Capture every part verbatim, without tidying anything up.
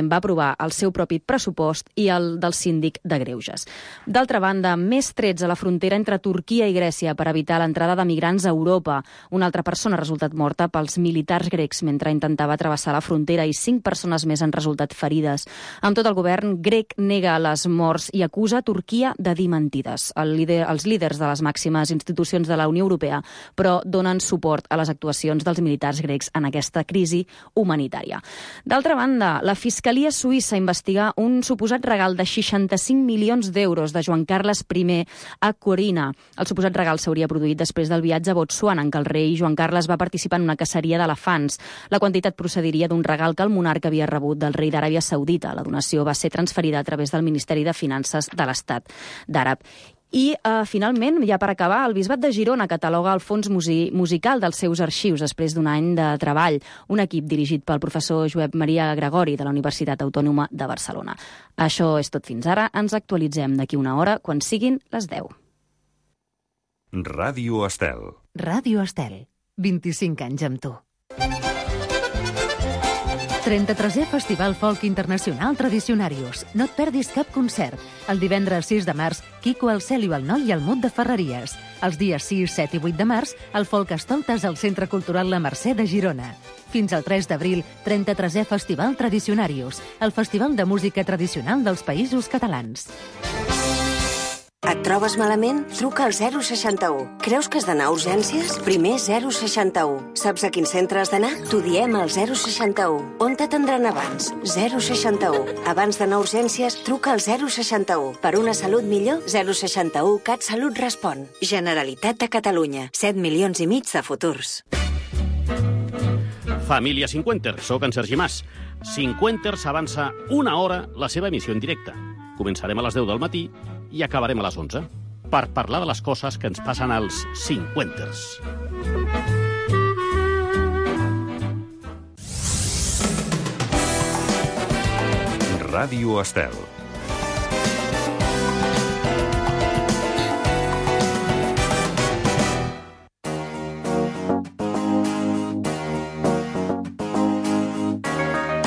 Parlament va aprovar el seu propi pressupost i el del síndic de Greuges. D'altra banda, més trets a la frontera entre Turquia i Grècia per evitar l'entrada de migrants a Europa. Una altra persona ha resultat morta pels militars grecs mentre intentava travessar la frontera i cinc persones més han resultat ferides. Amb tot, el govern grec nega les morts i acusa Turquia de dir mentides. El líder, els líders de les màximes institucions de la Unió Europea, però donen suport a les actuacions dels militars grecs en aquesta crisi humanitària. D'altra banda, la Fiscalia Suïssa investiga un suposat regal de seixanta-cinc milions d'euros de Joan Carles I a Corina. El suposat regal s'hauria produït després del viatge a Botswana, en què el rei Joan Carles va participar en una caceria d'elefants. La quantitat procediria d'un regal que el monarca havia rebut del rei d'Aràbia Saudita. La donació va ser transferida a través del Ministeri de Finances de l'Estat d'Àrab. I, eh, finalment, ja per acabar, el Bisbat de Girona cataloga el fons musical dels seus arxius després d'un any de treball. Un equip dirigit pel professor Josep Maria Gregori de la Universitat Autònoma de Barcelona. Això és tot fins ara. Ens actualitzem d'aquí una hora quan siguin les deu. Ràdio Estel. Ràdio Estel. vint-i-cinc anys amb tu. trenta-tresè Festival Folk Internacional Tradicionarius. No et perdis cap concert. El divendres sis de març, Quico el Celio el Noi i el Mut de Ferreries. Els dies sis, set i vuit de març, el Folk Estoltes al Centre Cultural La Mercè de Girona. Fins al tres d'abril, trenta-tresè Festival Tradicionarius, el festival de música tradicional dels Països Catalans. Et trobes malament? Truca al zero seixanta-u. Creus que has d'anar a urgències? Primer zero seixanta-u. Saps a quin centre has d'anar? T'ho diem al zero seixanta-u. On t'atendran abans? zero seixanta-u. Abans d'anar a urgències, truca al zero seixanta-u. Per una salut millor, zero seixanta-u CatSalut respon. Generalitat de Catalunya. set milions i mig de futurs. Família Cinquenter, soc en Sergi Mas. Cinquenter s'avança una hora la seva emissió en directe. Començarem a les deu del matí i acabarem a les onze, per parlar de les coses que ens passen als cinquanters. Ràdio Estel.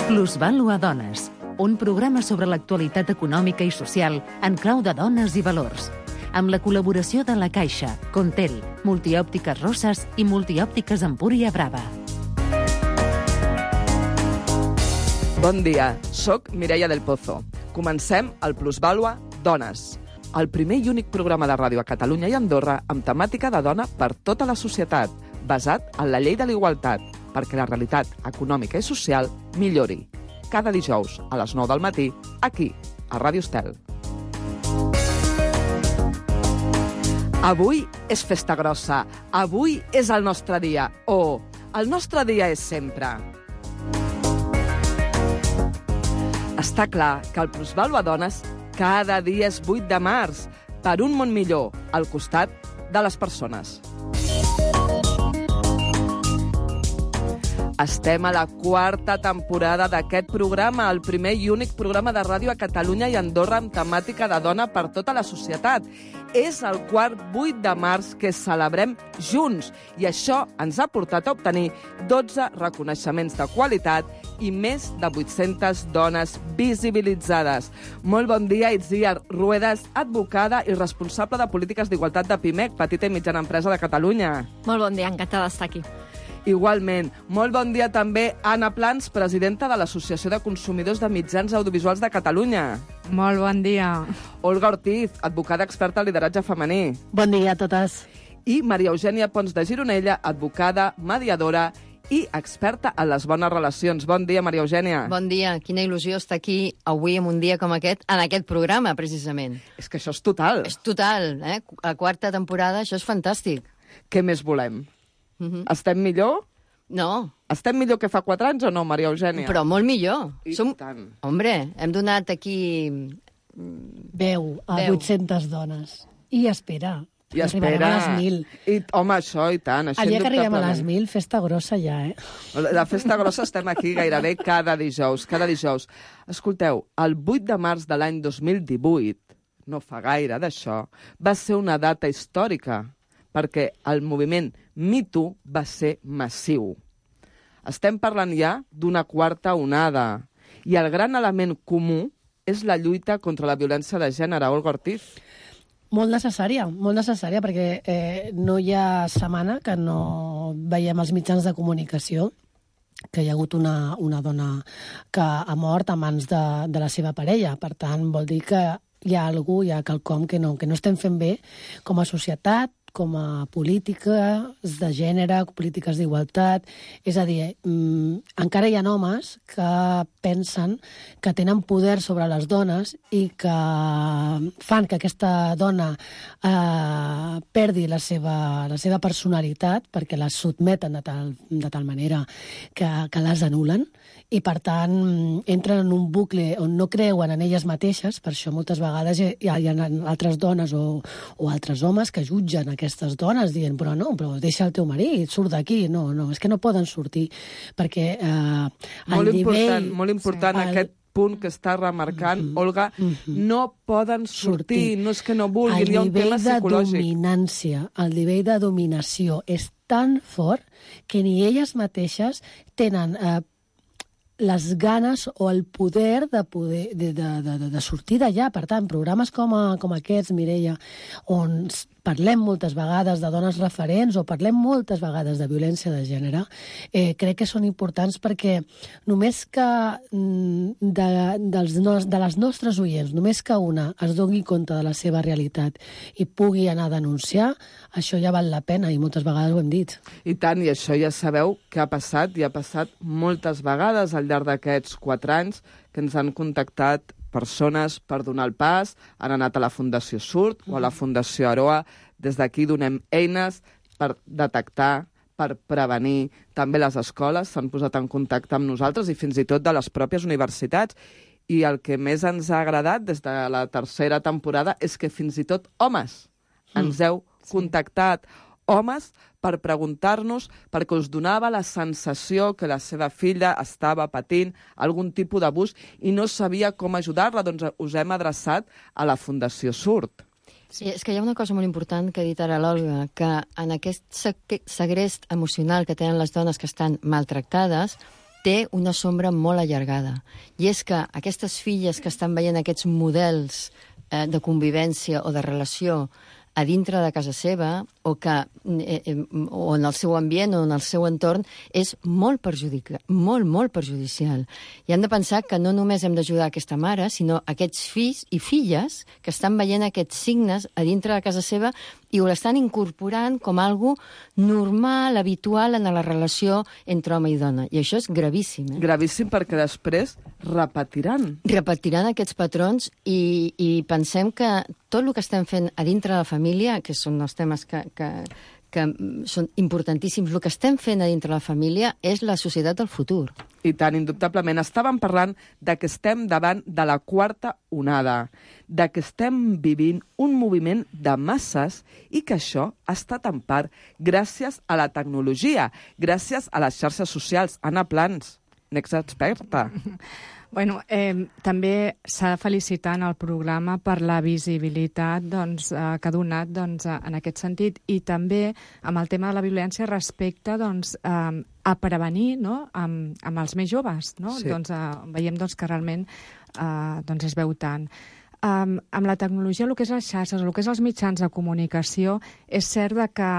Plusvàlua Dones, un programa sobre l'actualitat econòmica i social en clau de dones i valors, amb la col·laboració de La Caixa, Contel, Multiòptiques Rosses i Multiòptiques Empúria Brava. Bon dia, soc Mireia del Pozo. Comencem el Plusvàlua Dones, el primer i únic programa de ràdio a Catalunya i Andorra amb temàtica de dona per tota la societat, basat en la llei de l'igualtat, perquè la realitat econòmica i social millori. Cada dijous a les nou del matí, aquí, a Ràdio Estel. Avui és festa grossa, avui és el nostre dia, o oh, el nostre dia és sempre. Està clar que el Plusvàlua Dones cada dia és vuit de març, per un món millor, al costat de les persones. Estem a la quarta temporada d'aquest programa, el primer i únic programa de ràdio a Catalunya i Andorra amb temàtica de dona per tota la societat. És el quart vuit de març que celebrem junts i això ens ha portat a obtenir dotze reconeixements de qualitat i més de vuit-centes dones visibilitzades. Molt bon dia, Itziar Ruedas, advocada i responsable de polítiques d'igualtat de Pimec, petita i mitjana empresa de Catalunya. Molt bon dia, encantada d'estar aquí. Igualment. Molt bon dia també Anna Plans, presidenta de l'Associació de Consumidors de Mitjans Audiovisuals de Catalunya. Molt bon dia. Olga Ortiz, advocada experta en lideratge femení. Bon dia a totes. I Maria Eugènia Pons de Gironella, advocada, mediadora i experta en les bones relacions. Bon dia, Maria Eugènia. Bon dia. Quina il·lusió estar aquí avui en un dia com aquest, en aquest programa, precisament. És que això és total. És total, eh? La quarta temporada, això és fantàstic. Què més volem? Uh-huh. Estem millor? No. Estem millor que fa quatre anys o no, Maria Eugènia? Però molt millor. I Som... tant. Hombre, hem donat aquí... Veu a Veu. vuit-centes dones. I espera. I espera. Arribarem a les mil. I, home, això, i tant. Això El dia que arribem a indubtablement. les mil, festa grossa ja, eh? La festa grossa estem aquí gairebé cada dijous, cada dijous. Escolteu, el vuit de març de l'any dos mil divuit, no fa gaire d'això, va ser una data històrica, perquè el moviment Me Too va ser massiu. Estem parlant ja d'una quarta onada. I el gran element comú és la lluita contra la violència de gènere. Olga Ortiz. Molt necessària, molt necessària, perquè eh, no hi ha setmana que no veiem els mitjans de comunicació que hi ha hagut una, una dona que ha mort a mans de, de la seva parella. Per tant, vol dir que hi ha algú, hi ha quelcom que no, que no estem fent bé com a societat, com a polítiques de gènere, polítiques d'igualtat. És a dir, mm, encara hi ha homes que pensen que tenen poder sobre les dones i que fan que aquesta dona eh, perdi la seva, la seva personalitat perquè les sotmeten de tal, de tal manera que, que les anulen i, per tant, entren en un bucle on no creuen en elles mateixes. Per això moltes vegades hi ha, hi ha altres dones o, o altres homes que jutgen aquestes dones dient, però no, però deixa el teu marit, surt d'aquí. No, no, és que no poden sortir perquè eh, molt el nivell... Important, molt important sí. aquest punt que està remarcant, mm -hmm. Olga, mm -hmm. no poden sortir, sortir, no és que no vulguin, hi ha un tema psicològic. El nivell de dominància, el nivell de dominació és tan fort que ni elles mateixes tenen eh, les ganes o el poder de, poder, de, de, de, de sortir d'allà. Per tant, programes com, a, com aquests, Mireia, on parlem moltes vegades de dones referents o parlem moltes vegades de violència de gènere, eh, crec que són importants perquè només que de, dels nos, de les nostres oients, només que una es doni compte de la seva realitat i pugui anar a denunciar, això ja val la pena i moltes vegades ho hem dit. I tant, i això ja sabeu que ha passat i ha passat moltes vegades al llarg d'aquests quatre anys que ens han contactat persones per donar el pas, han anat a la Fundació Surt o a la Fundació Aroa. Des d'aquí donem eines per detectar, per prevenir. També les escoles s'han posat en contacte amb nosaltres i fins i tot de les pròpies universitats. I el que més ens ha agradat des de la tercera temporada és que fins i tot homes ens heu contactat. Homes per preguntar-nos, perquè us donava la sensació que la seva filla estava patint algun tipus d'abús i no sabia com ajudar-la, doncs us hem adreçat a la Fundació Surt. Sí, és que hi ha una cosa molt important que ha dit ara l'Olga, que en aquest segrest emocional que tenen les dones que estan maltractades té una sombra molt allargada. I és que aquestes filles que estan veient aquests models eh, de convivència o de relació a dintre de casa seva o, que, eh, eh, o en el seu ambient o en el seu entorn és molt perjudica, molt, molt perjudicial. I hem de pensar que no només hem d'ajudar aquesta mare, sinó aquests fills i filles que estan veient aquests signes a dintre de casa seva i ho l'estan incorporant com algo normal, habitual en la relació entre home i dona. I això és gravíssim. Eh? Gravíssim perquè després repetiran. Repetiran aquests patrons i, i pensem que tot el que estem fent a dintre de la família, que són els temes que, que, que són importantíssims, el que estem fent a dintre de la família és la societat del futur. I tant, indubtablement. Estàvem parlant de que estem davant de la quarta onada, de que estem vivint un moviment de masses i que això ha estat en part gràcies a la tecnologia, gràcies a les xarxes socials. Anna Plans, n'experta. Bueno, eh, també s'ha de felicitar en el programa per la visibilitat doncs, eh, que ha donat doncs, en aquest sentit i també amb el tema de la violència respecte doncs, eh, a prevenir, no? amb, amb els més joves. No? Sí. Doncs, eh, veiem doncs, que realment eh, doncs es veu tant. Um, amb la tecnologia, el que és les xarxes, el que és els mitjans de comunicació, és cert que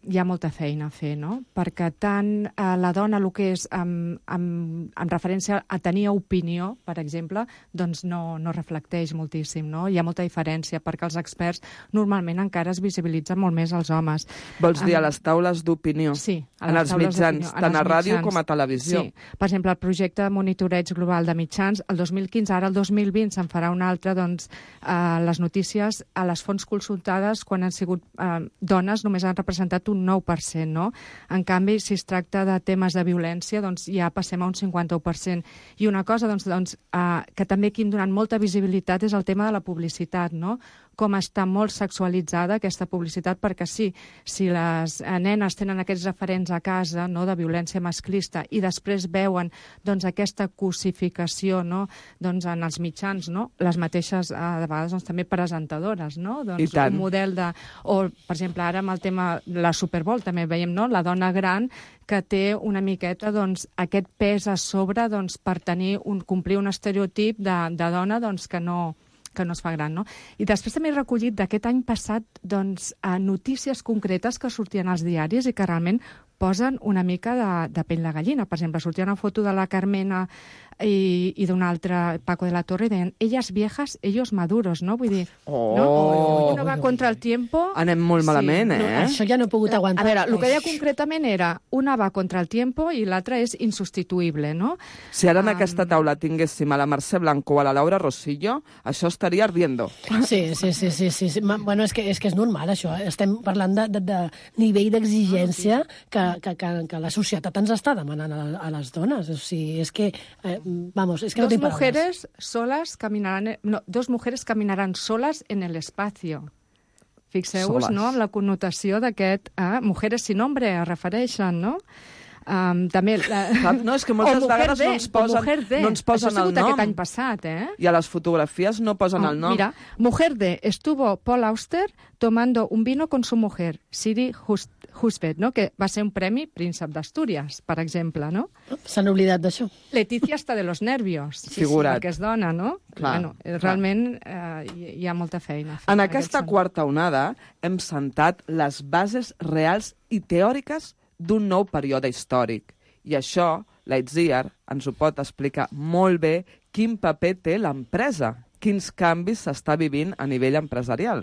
hi ha molta feina a fer, no? Perquè tant eh, la dona, el que és amb, amb, amb referència a tenir opinió, per exemple, doncs no, no reflecteix moltíssim, no? Hi ha molta diferència, perquè els experts normalment encara es visibilitzen molt més els homes. Vols dir a les taules d'opinió? Sí, a en les els taules mitjans, tant a ràdio com a televisió. Sí. Per exemple, el projecte de monitoreig global de mitjans, el dos mil quinze, ara el dos mil vint se'n farà un altre, doncs, eh, les notícies a les fonts consultades quan han sigut eh, dones només han representat un nou per cent, no? En canvi, si es tracta de temes de violència, doncs ja passem a un cinquanta-u per cent. I una cosa doncs, doncs, eh, que també aquí hem donat molta visibilitat és el tema de la publicitat, no? com està molt sexualitzada aquesta publicitat, perquè sí, si les nenes tenen aquests referents a casa, no?, de violència masclista, i després veuen, doncs, aquesta cosificació, no?, doncs, en els mitjans, no?, les mateixes, eh, de vegades, doncs, també presentadores, no?, doncs, un model de... O, per exemple, ara amb el tema la Super Bowl també veiem, no?, la dona gran que té una miqueta, doncs, aquest pes a sobre, doncs, per tenir un, complir un estereotip de, de dona, doncs, que no... que no es fa gran, no? I després també he recollit d'aquest any passat, doncs, a notícies concretes que sortien als diaris i que realment posen una mica de, de pell de gallina. Per exemple, sortia una foto de la Carmena i, i d'un altre, Paco de la Torre, i deien, elles viejas, ellos maduros, no? Vull dir, oh, no? Oh, Uno va contra el tiempo... Anem molt malament, sí, eh? No, això ja no he pogut aguantar. A veure, el que deia concretament era una va contra el tiempo i l'altra és insubstituïble, no? Si ara en Um... aquesta taula tinguéssim a la Mercè Blanco o a la Laura Rosillo, això estaria ardiendo. Sí, sí, sí, sí, sí. Ma, bueno, és que, és que és normal, això. Eh? Estem parlant de, de, de nivell d'exigència que, que, que, que la societat ens està demanant a, a les dones. O sigui, és que, eh, vamos, és que dos no tinc mujeres solas caminarán, no, dos mujeres caminarán solas en el espacio. Fixeu-vos, no?, amb la connotació d'aquest... Ah, mujeres sin nombre, es refereixen, no? Um, també la... No, és que moltes vegades de, no ens posen, no ens posen el nom. Això ha sigut aquest any passat, eh? I a les fotografies no posen oh, el nom. Mira, mujer de estuvo Paul Auster tomando un vino con su mujer, Siri Husband, no?, que va ser un premi Príncep d'Astúries, per exemple, no? S'han oblidat d'això. Leticia hasta de los nervios. Sí, figurat. Perquè és dona, no? Clar, bueno, clar. Realment eh, hi ha molta feina. En, en aquesta quarta onada hem sentat les bases reals i teòriques d'un nou període històric. I això, l'Aitziar ens ho pot explicar molt bé quin paper té l'empresa, quins canvis s'està vivint a nivell empresarial.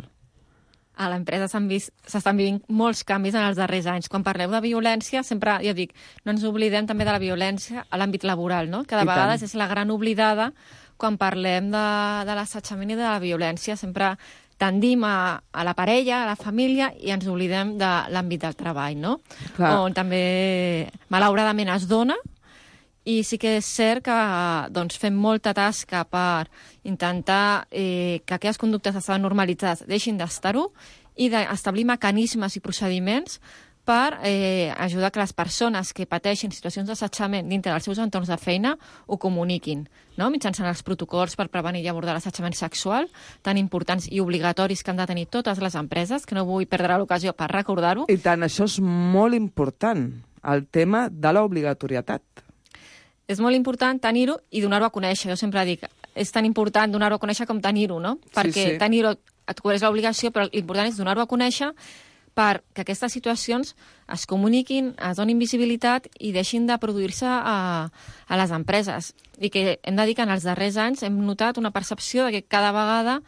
A l'empresa s'estan vivint molts canvis en els darrers anys. Quan parleu de violència, sempre, jo dic, no ens oblidem també de la violència a l'àmbit laboral, no? Que de I vegades tant. és la gran oblidada quan parlem de, de l'assetjament i de la violència. Sempre tendim a, a la parella, a la família, i ens oblidem de l'àmbit del treball, no? Clar. On també, malauradament, es dona, i sí que és cert que doncs, fem molta tasca per intentar eh, que aquelles conductes que estaven normalitzades deixin d'estar-ho i d'establir mecanismes i procediments per eh, ajudar que les persones que pateixen situacions d'assetjament dintre dels seus entorns de feina ho comuniquin, no? Mitjançant els protocols per prevenir i abordar l'assetjament sexual, tan importants i obligatoris que han de tenir totes les empreses, que no vull perdre l'ocasió per recordar-ho. I tant, això és molt important, el tema de l'obligatorietat. És molt important tenir-ho i donar-ho a conèixer. Jo sempre dic, és tan important donar-ho a conèixer com tenir-ho, no? Perquè sí, sí. tenir-ho et cobreix l'obligació, però l'important és donar-ho a conèixer perquè aquestes situacions es comuniquin, es donin visibilitat i deixin de produir-se a, a les empreses. I que hem de dir que en els darrers anys hem notat una percepció de que cada vegada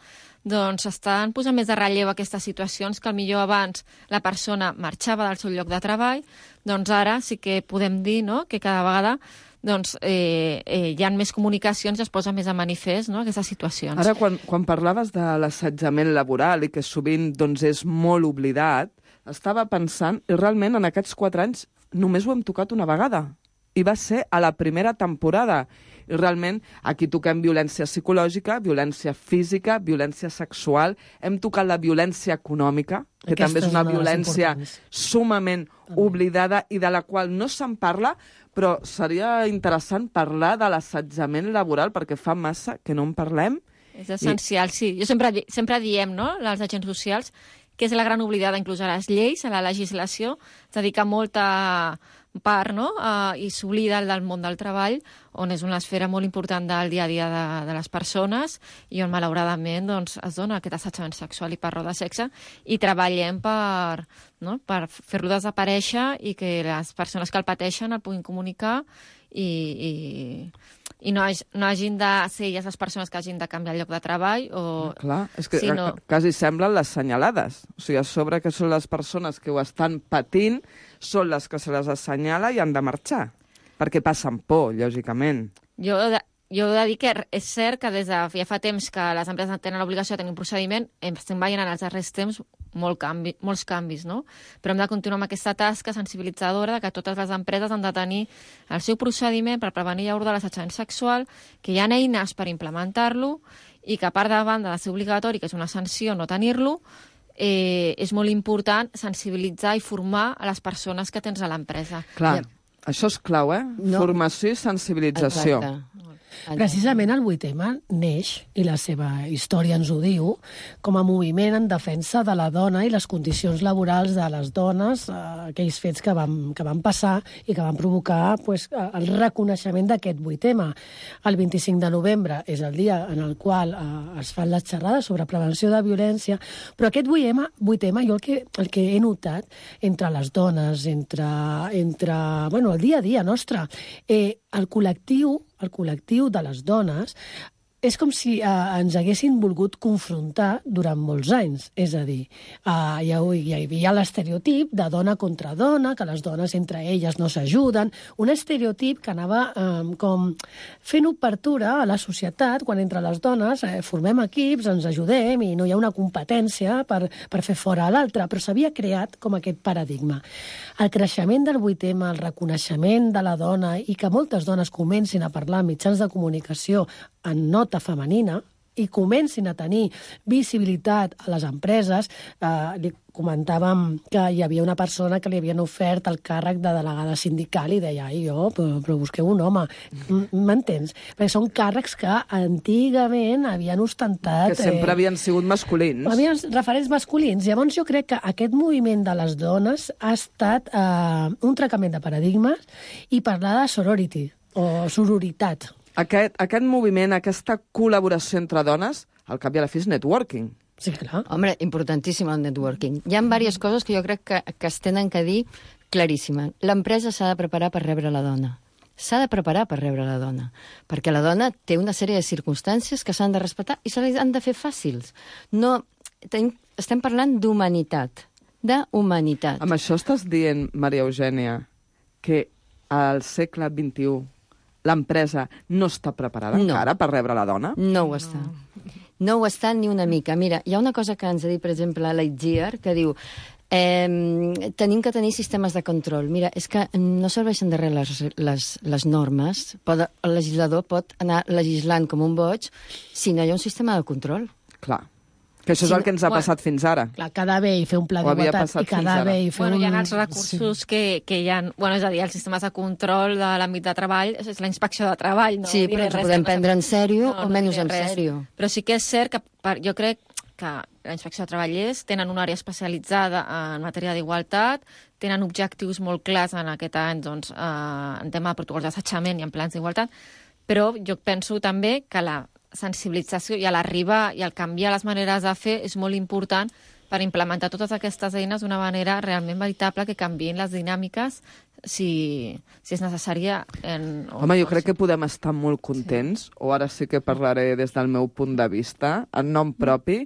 doncs estan posant més de relleu aquestes situacions que millor abans la persona marxava del seu lloc de treball, doncs ara sí que podem dir, no?, que cada vegada doncs, eh, eh, hi ha més comunicacions i es posa més a manifest, no?, aquestes situacions. Ara, quan, quan parlaves de l'assetjament laboral i que sovint doncs, és molt oblidat, estava pensant, i realment en aquests quatre anys només ho hem tocat una vegada. I va ser a la primera temporada. I realment aquí toquem violència psicològica, violència física, violència sexual, hem tocat la violència econòmica, que Aquesta també és una és una violència importants. sumament oblidada i de la qual no se'n parla, però seria interessant parlar de l'assetjament laboral perquè fa massa que no en parlem. És essencial, I... sí. Jo sempre, sempre diem, no?, als agents socials, que és la gran oblidada, inclús a les lleis, a la legislació, es dedica molta part, no?, uh, i s'oblida del món del treball, on és una esfera molt important del dia a dia de, de les persones i on, malauradament, doncs, es dona aquest assetjament sexual i per raó de sexe, i treballem per, no?, per fer-lo desaparèixer i que les persones que el pateixen el puguin comunicar i, i, i no, hagi, no hagin de ser elles les persones que hagin de canviar el lloc de treball o... Clar, és que sí, no... quasi semblen les senyalades. O sigui, a sobre que són les persones que ho estan patint, són les que se les assenyala i han de marxar. Perquè passen por, lògicament. Jo, jo he de dir que és cert que des de ja fa temps que les empreses tenen l'obligació de tenir un procediment, estem veient en els darrers temps molt canvi, molts canvis, no? Però hem de continuar amb aquesta tasca sensibilitzadora de que totes les empreses han de tenir el seu procediment per prevenir i abordar l'assetjament sexual, que hi ha eines per implementar-lo i que, a part de banda de ser obligatori, que és una sanció no tenir-lo, eh, és molt important sensibilitzar i formar a les persones que tens a l'empresa. Clar. I... Això és clau, eh? No. Formació i sensibilització. Exacte. Precisament el vuit eme neix, i la seva història ens ho diu, com a moviment en defensa de la dona i les condicions laborals de les dones, eh, aquells fets que van, que van passar i que van provocar pues, el reconeixement d'aquest vuit eme. El vint-i-cinc de novembre és el dia en el qual eh, es fan les xerrades sobre prevenció de violència, però aquest vuit eme, vuit eme jo el que, el que he notat entre les dones, entre, entre bueno, el dia a dia nostre, eh, el col·lectiu el col·lectiu de les dones, és com si eh, ens haguessin volgut confrontar durant molts anys. És a dir, eh, hi, hi havia l'estereotip de dona contra dona, que les dones entre elles no s'ajuden, un estereotip que anava eh, com fent obertura a la societat, quan entre les dones eh, formem equips, ens ajudem i no hi ha una competència per, per fer fora a l'altre, però s'havia creat com aquest paradigma. El creixement del vuit eme, el reconeixement de la dona i que moltes dones comencin a parlar en mitjans de comunicació en nota femenina i comencin a tenir visibilitat a les empreses. Eh, li comentàvem que hi havia una persona que li havien ofert el càrrec de delegada sindical i deia, ai, jo, però, però busqueu un home. M'entens? Perquè són càrrecs que antigament havien ostentat... Que sempre eh, havien sigut masculins. Havien referents masculins. Llavors jo crec que aquest moviment de les dones ha estat eh, un trencament de paradigmes i parlar de sorority o sororitat. Aquest, aquest moviment, aquesta col·laboració entre dones, al cap i a la fi és networking. Sí, clar. Home, importantíssim el networking. Hi ha diverses coses que jo crec que, que es tenen que dir claríssimes. L'empresa s'ha de preparar per rebre la dona. S'ha de preparar per rebre la dona. Perquè la dona té una sèrie de circumstàncies que s'han de respectar i se les han de fer fàcils. No, ten, estem parlant d'humanitat. D'humanitat. Amb això estàs dient, Maria Eugènia, que al segle vint-i-u l'empresa no està preparada no. encara per rebre la dona? No ho està. No. no ho està ni una mica. Mira, hi ha una cosa que ens ha dit, per exemple, Lightyear, que diu eh, tenim que tenir sistemes de control. Mira, és que no serveixen de res les, les, les normes. Pot, el legislador pot anar legislant com un boig si no hi ha un sistema de control. Clar. Que això és el que ens ha passat bueno, fins ara. Clar, quedar bé i fer un pla d'igualtat i quedar bé i fer bueno, un... Hi ha els recursos sí. que, que hi ha... Bueno, és a dir, els sistemes de control de l'àmbit de treball, és la inspecció de treball. No sí, però ens ho podem prendre en sèrio no, o menys no en sèrio. Però sí que és cert que per, jo crec que la inspecció de treballers tenen una àrea especialitzada en matèria d'igualtat, tenen objectius molt clars en aquest any doncs, eh, en tema de protocols d'assetjament i en plans d'igualtat, però jo penso també que la sensibilització i a l'arribar i al canviar les maneres de fer és molt important per implementar totes aquestes eines d'una manera realment veritable que canviïn les dinàmiques si, si és necessària. En, Home, jo crec que podem estar molt contents, sí. o ara sí que parlaré des del meu punt de vista, en nom propi,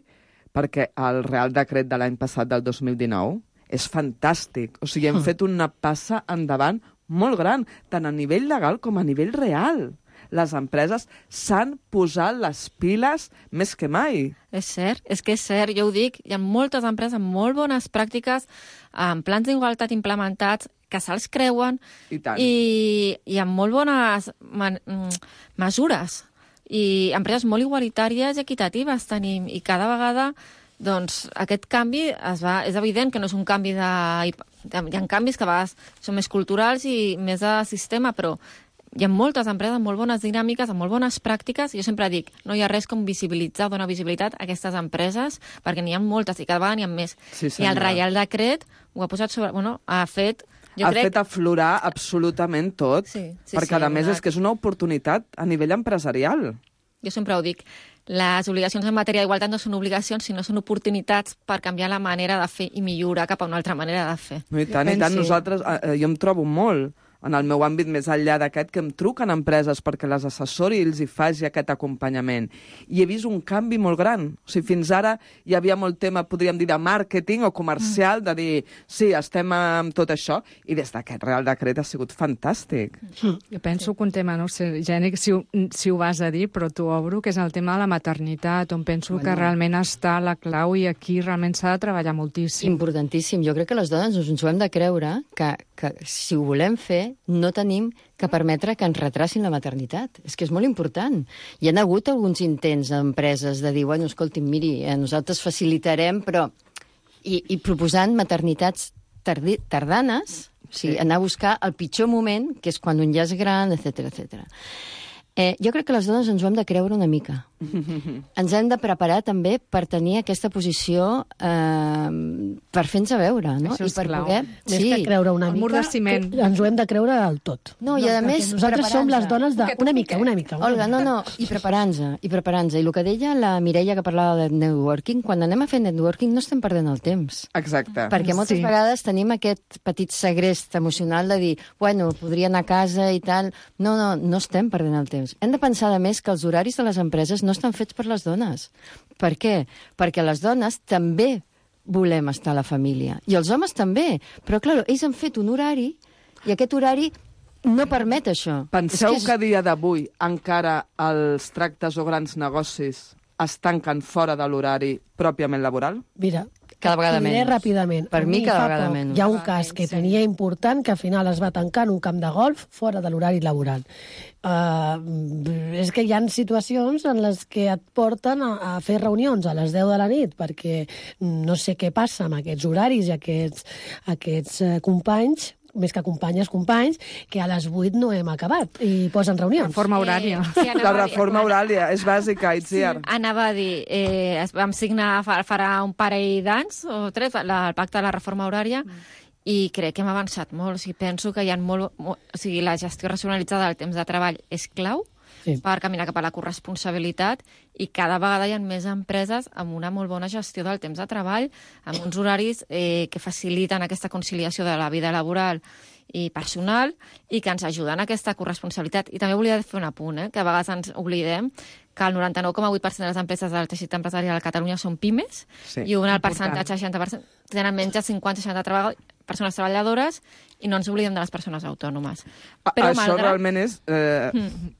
perquè el Real Decret de l'any passat, del dos mil dinou, és fantàstic. O sigui, hem fet una passa endavant molt gran, tant a nivell legal com a nivell real. Les empreses s'han posat les piles més que mai. És cert, és que és cert, jo ho dic, hi ha moltes empreses amb molt bones pràctiques, amb plans d'igualtat implementats, que se'ls creuen i, i, i amb molt bones man, mesures. I empreses molt igualitàries i equitatives tenim, i cada vegada doncs, aquest canvi es va, és evident que no és un canvi de... Hi ha canvis que a vegades són més culturals i més de sistema, però hi ha moltes empreses amb molt bones dinàmiques, amb molt bones pràctiques, i jo sempre dic, no hi ha res com visibilitzar, donar visibilitat a aquestes empreses, perquè n'hi ha moltes, i cada vegada n'hi ha més. Sí, I el Reial Decret ho ha posat sobre... Bueno, ha fet... Jo ha crec... fet aflorar absolutament tot, sí, sí, perquè sí, a més és que és una oportunitat a nivell empresarial. Jo sempre ho dic, les obligacions en matèria d'igualtat no són obligacions, sinó són oportunitats per canviar la manera de fer i millorar cap a una altra manera de fer. No, i tant, i tant, nosaltres, eh, jo em trobo molt en el meu àmbit més enllà d'aquest, que em truquen empreses perquè les assessori i els hi faci aquest acompanyament. I he vist un canvi molt gran. O sigui, fins ara hi havia molt tema, podríem dir, de màrqueting o comercial, de dir, sí, estem amb tot això, i des d'aquest Real Decret ha sigut fantàstic. Jo penso que un tema, no sé, Geni, si, ho- si ho vas a dir, però t'ho obro, que és el tema de la maternitat, on penso Bueno. que realment està la clau i aquí realment s'ha de treballar moltíssim. Importantíssim. Jo crec que les dones ens ho hem de creure que, que si ho volem fer no tenim que permetre que ens retracin la maternitat. És que és molt important. Hi ha hagut alguns intents d'empreses de dir, bueno, escolti'm, miri, eh, nosaltres facilitarem, però... I, i proposant maternitats tardi, tardanes, o sigui, anar a buscar el pitjor moment, que és quan un ja és gran, etcètera, etcètera. Eh, jo crec que les dones ens ho hem de creure una mica. Ens hem de preparar també per tenir aquesta posició eh, per fer-nos a veure, no? Això és I per clau. poder... Més que creure una El mur mica, de ciment. que ens ho hem de creure del tot. No, i a perquè més, nosaltres som les preparant-se. dones de... Una mica, una mica. Una Olga, no, no, i preparant-se, i preparant-se. I el que deia la Mireia, que parlava de networking, quan anem a fer networking no estem perdent el temps. Exacte. Perquè moltes Sí. vegades tenim aquest petit segrest emocional de dir, bueno, podria anar a casa i tal. No, no, no estem perdent el temps. Hem de pensar, a més, que els horaris de les empreses no estan fets per les dones. Per què? Perquè les dones també volem estar a la família. I els homes també. Però, clar, ells han fet un horari i aquest horari no permet això. Penseu És que, a dia d'avui encara els tractes o grans negocis es tanquen fora de l'horari pròpiament laboral? Mira, Cada vegada t'ho diré menys. ràpidament. Per A mi, cada fa vegada poc menys. Hi ha un cas que tenia important que al final es va tancar en un camp de golf fora de l'horari laboral. Uh, és que hi ha situacions en les que et porten a, a fer reunions a les deu de la nit perquè no sé què passa amb aquests horaris i aquests, aquests uh, companys, més que companyes, companys, que a les vuit no hem acabat i posen reunions. Reforma horària. Eh, sí, La anava a dir- reforma horària és bàsica, Itziar. Anava a dir, eh, es- vam signar fa- farà un parell d'anys o tres la, el pacte de la reforma horària i crec que hem avançat molt. O sigui, penso que hi ha molt, molt... O sigui, la gestió racionalitzada del temps de treball és clau Sí. per caminar cap a la corresponsabilitat i cada vegada hi ha més empreses amb una molt bona gestió del temps de treball, amb uns horaris eh, que faciliten aquesta conciliació de la vida laboral i personal i que ens ajuden a aquesta corresponsabilitat. I també volia fer un apunt, eh, que a vegades ens oblidem que el noranta-nou coma vuit per cent de les empreses del teixit empresarial a Catalunya són pimes Sí, i un el important. percentatge, seixanta per cent, tenen menys de cinquanta seixanta treball, persones treballadores i no ens oblidem de les persones autònomes. A- Això realment és eh,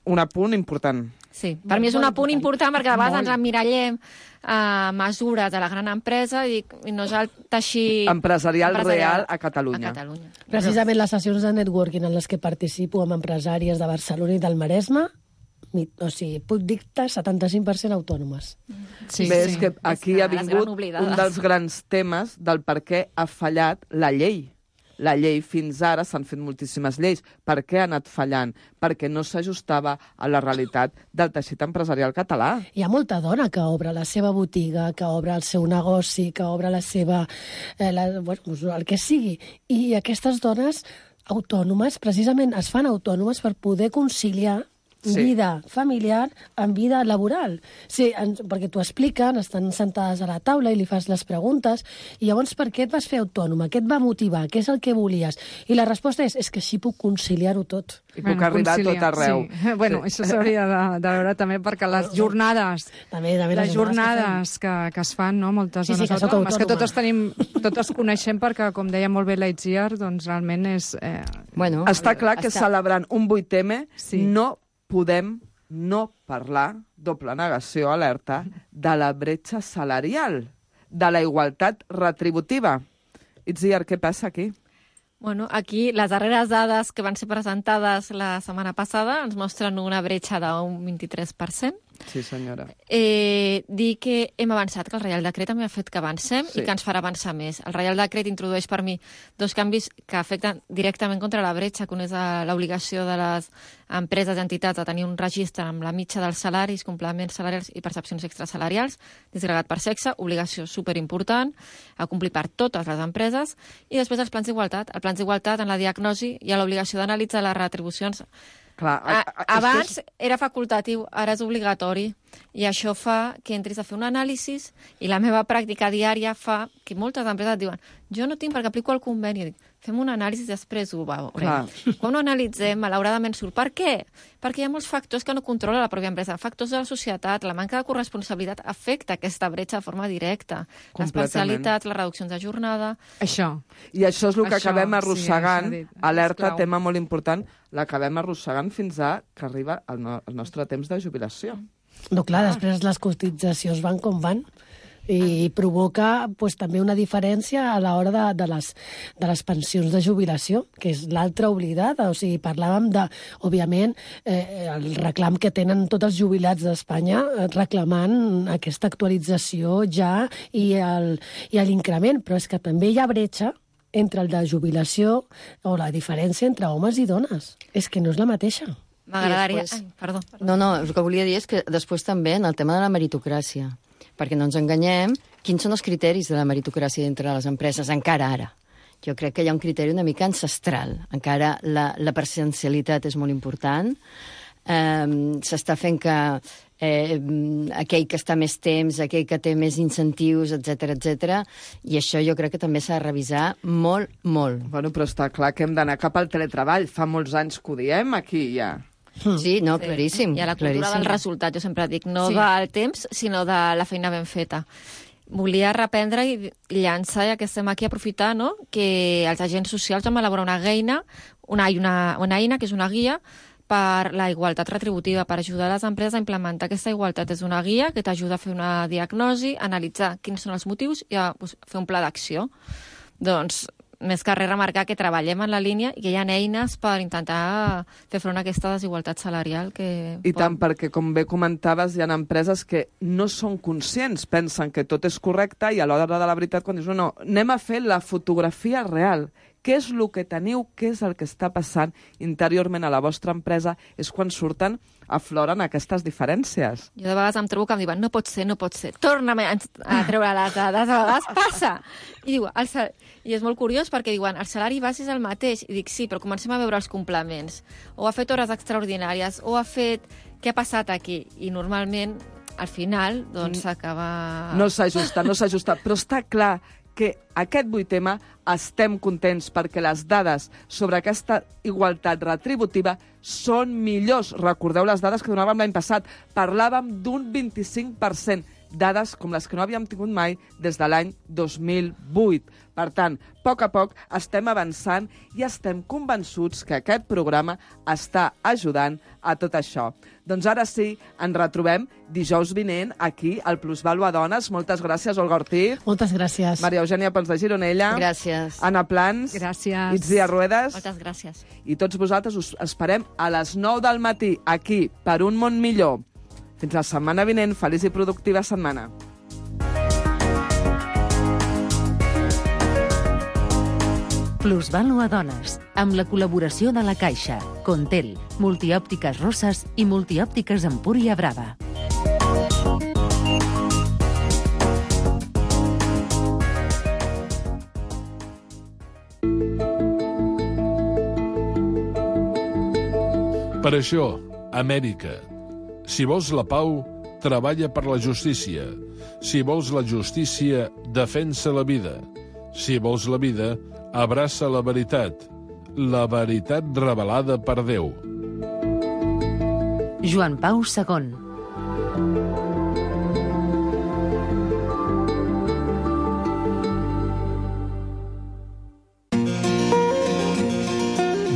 un apunt important. Sí, per mi és un apunt important perquè a vegades ens emmirallem a mesures de la gran empresa i, i no és el teixit Empresarial real a Catalunya. A Catalunya. Precisament les sessions de networking en les que participo amb empresàries de Barcelona i del Maresme, mi- o sigui, puc dir-te setanta-cinc per cent autònomes. Sí, Bé, sí. és que aquí És ha de les vingut gran oblidades. un dels grans temes del per què ha fallat la llei. La llei fins ara s'han fet moltíssimes lleis. Per què ha anat fallant? Perquè no s'ajustava a la realitat del teixit empresarial català. Hi ha molta dona que obre la seva botiga, que obre el seu negoci, que obre la seva... Eh, la, bueno, el que sigui. I aquestes dones autònomes, precisament, es fan autònomes per poder conciliar Sí. vida familiar amb vida laboral. Sí, en, perquè t'ho expliquen, estan sentades a la taula i li fas les preguntes, i llavors per què et vas fer autònoma? Què et va motivar? Què és el que volies? I la resposta és, és que així puc conciliar-ho tot. I puc arribar a tot conciliar, arreu. Sí. Bueno, això s'hauria de, de veure també perquè les jornades, També, també les dones jornades que, que es fan, no? Moltes Sí, sí, dones que sóc autònomes, que autònoma. totes tenim, totes coneixem perquè, com deia molt bé la Itziar, doncs realment és... Eh, Bueno, Està clar que està- celebrant un vuit eme Sí. no podem no parlar, doble negació, alerta, de la bretxa salarial, de la igualtat retributiva. Itziar, què passa aquí? Bueno, aquí les darreres dades que van ser presentades la setmana passada ens mostren una bretxa d'un vint-i-tres per cent. Sí, senyora. Eh, dir que hem avançat, que el Reial Decret també ha fet que avancem Sí. i que ens farà avançar més. El Reial Decret introdueix per mi dos canvis que afecten directament contra la bretxa, que un és eh, l'obligació de les empreses i entitats a tenir un registre amb la mitja dels salaris, complements salarials i percepcions extrasalarials, disgregat per sexe, obligació superimportant, a complir per totes les empreses, i després els plans d'igualtat. Els plans d'igualtat, en la diagnosi, hi ha l'obligació d'analitzar les retribucions Clar, a, a, a, abans és... era facultatiu, ara és obligatori. I això fa que entris a fer un anàlisi i la meva pràctica diària fa que moltes empreses et diuen jo no tinc perquè aplico el conveni. I dic, fem un anàlisi i després ho veurem. Quan ho analitzem, malauradament surt. Per què? Perquè hi ha molts factors que no controla la pròpia empresa. Factors de la societat, la manca de corresponsabilitat afecta aquesta bretxa de forma directa. L'especialitat, les reduccions de jornada... Això. I això és el que Això, acabem arrossegant, sí, alerta, tema molt important, l'acabem arrossegant fins a que arriba el, no, el nostre temps de jubilació. No, clar, després les cotitzacions van com van i provoca pues, també una diferència a l'hora de, de, les, de les pensions de jubilació, que és l'altra oblidada. O sigui, parlàvem de, òbviament, eh, el reclam que tenen tots els jubilats d'Espanya reclamant aquesta actualització ja i l'increment, però és que també hi ha bretxa entre el de jubilació o la diferència entre homes i dones. És que no és la mateixa. M'agradaria... Després... Ai, perdó, perdó. No, no, el que volia dir és que després també en el tema de la meritocràcia, perquè no ens enganyem, quins són els criteris de la meritocràcia dintre de les empreses, encara ara? Jo crec que hi ha un criteri una mica ancestral. Encara la, la presencialitat és molt important. Eh, S'està fent que eh, aquell que està més temps, aquell que té més incentius, etcètera, etcètera, i això jo crec que també s'ha de revisar molt, molt. Bueno, però està clar que hem d'anar cap al teletreball. Fa molts anys que ho diem aquí ja. Sí, no, claríssim. I a la cultura claríssim. del resultat, jo sempre dic, no Sí. del temps, sinó de la feina ben feta. Volia reprendre i llançar, ja que estem aquí, aprofitar, no?, que els agents socials vam elaborar una eina, una, una, una eina que és una guia per la igualtat retributiva, per ajudar les empreses a implementar aquesta igualtat. És una guia que t'ajuda a fer una diagnosi, analitzar quins són els motius i a pues, fer un pla d'acció. Doncs, més que res remarcar que treballem en la línia i que hi ha eines per intentar fer front a aquesta desigualtat salarial que... I tant, perquè, com bé comentaves, hi ha empreses que no són conscients, pensen que tot és correcte i a l'hora de la veritat, quan dius, no, no, anem a fer la fotografia real. Què és el que teniu, què és el que està passant interiorment a la vostra empresa, és quan surten, afloren aquestes diferències. Jo de vegades em trobo que em diuen, no pot ser, no pot ser, torna'm a, a treure les dades, a vegades passa. I diu, el sal... I és molt curiós perquè diuen, el salari base és el mateix. I dic, sí, però comencem a veure els complements. O ha fet hores extraordinàries, o ha fet... Què ha passat aquí? I normalment, al final, doncs s'acaba... No s'ajusta, no s'ajusta, però està clar que aquest vuit tema estem contents perquè les dades sobre aquesta igualtat retributiva són millors. Recordeu les dades que donàvem l'any passat. Parlàvem d'un vint-i-cinc per cent. Dades com les que no havíem tingut mai des de l'any dos mil vuit. Per tant, a poc a poc estem avançant i estem convençuts que aquest programa està ajudant a tot això. Doncs ara sí, ens retrobem dijous vinent aquí al Plusvàlua Dones. Moltes gràcies, Olga Ortiz. Moltes gràcies. Maria Eugènia Pons de Gironella. Gràcies. Anna Plans. Gràcies. Itzia Ruedas. Moltes gràcies. I tots vosaltres us esperem a les nou del matí aquí, per un món millor. Fins la setmana vinent. Feliç i productiva setmana. Plusvàlua Dones, amb la col·laboració de la Caixa, Contel, Multiòptiques Rosses i Multiòptiques Empúria Brava. Per això, Amèrica. Si vols la pau, treballa per la justícia. Si vols la justícia, defensa la vida. Si vols la vida, abraça la veritat. La veritat revelada per Déu. Joan Pau segon.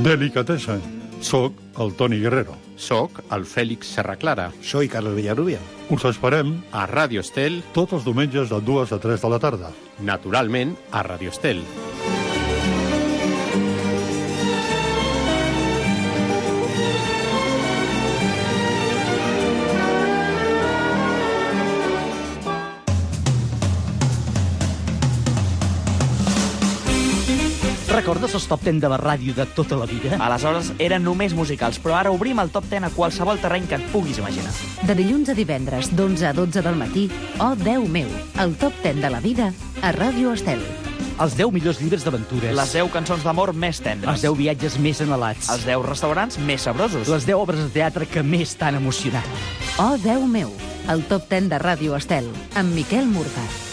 Delicatessen. Soc el Toni Guerrero. Soc el Fèlix Serraclara. Soy Carlos Villarrubia. Us esperem A Ràdio Estel, tots els diumenges de dues a tres de la tarda. naturalment, a Ràdio Estel. Recordes els top deu de la ràdio de tota la vida? Aleshores eren només musicals, però ara obrim el top deu a qualsevol terreny que et puguis imaginar. De dilluns a divendres, d'onze a dotze del matí, Oh, Déu meu, el top deu de la vida a Ràdio Estel. Els deu millors llibres d'aventures. Les deu cançons d'amor més tendres. Els deu viatges més anhelats. Els deu restaurants més sabrosos. Les deu obres de teatre que més t'han emocionat. Oh, Déu meu, el top deu de Ràdio Estel, amb Miquel Morgat.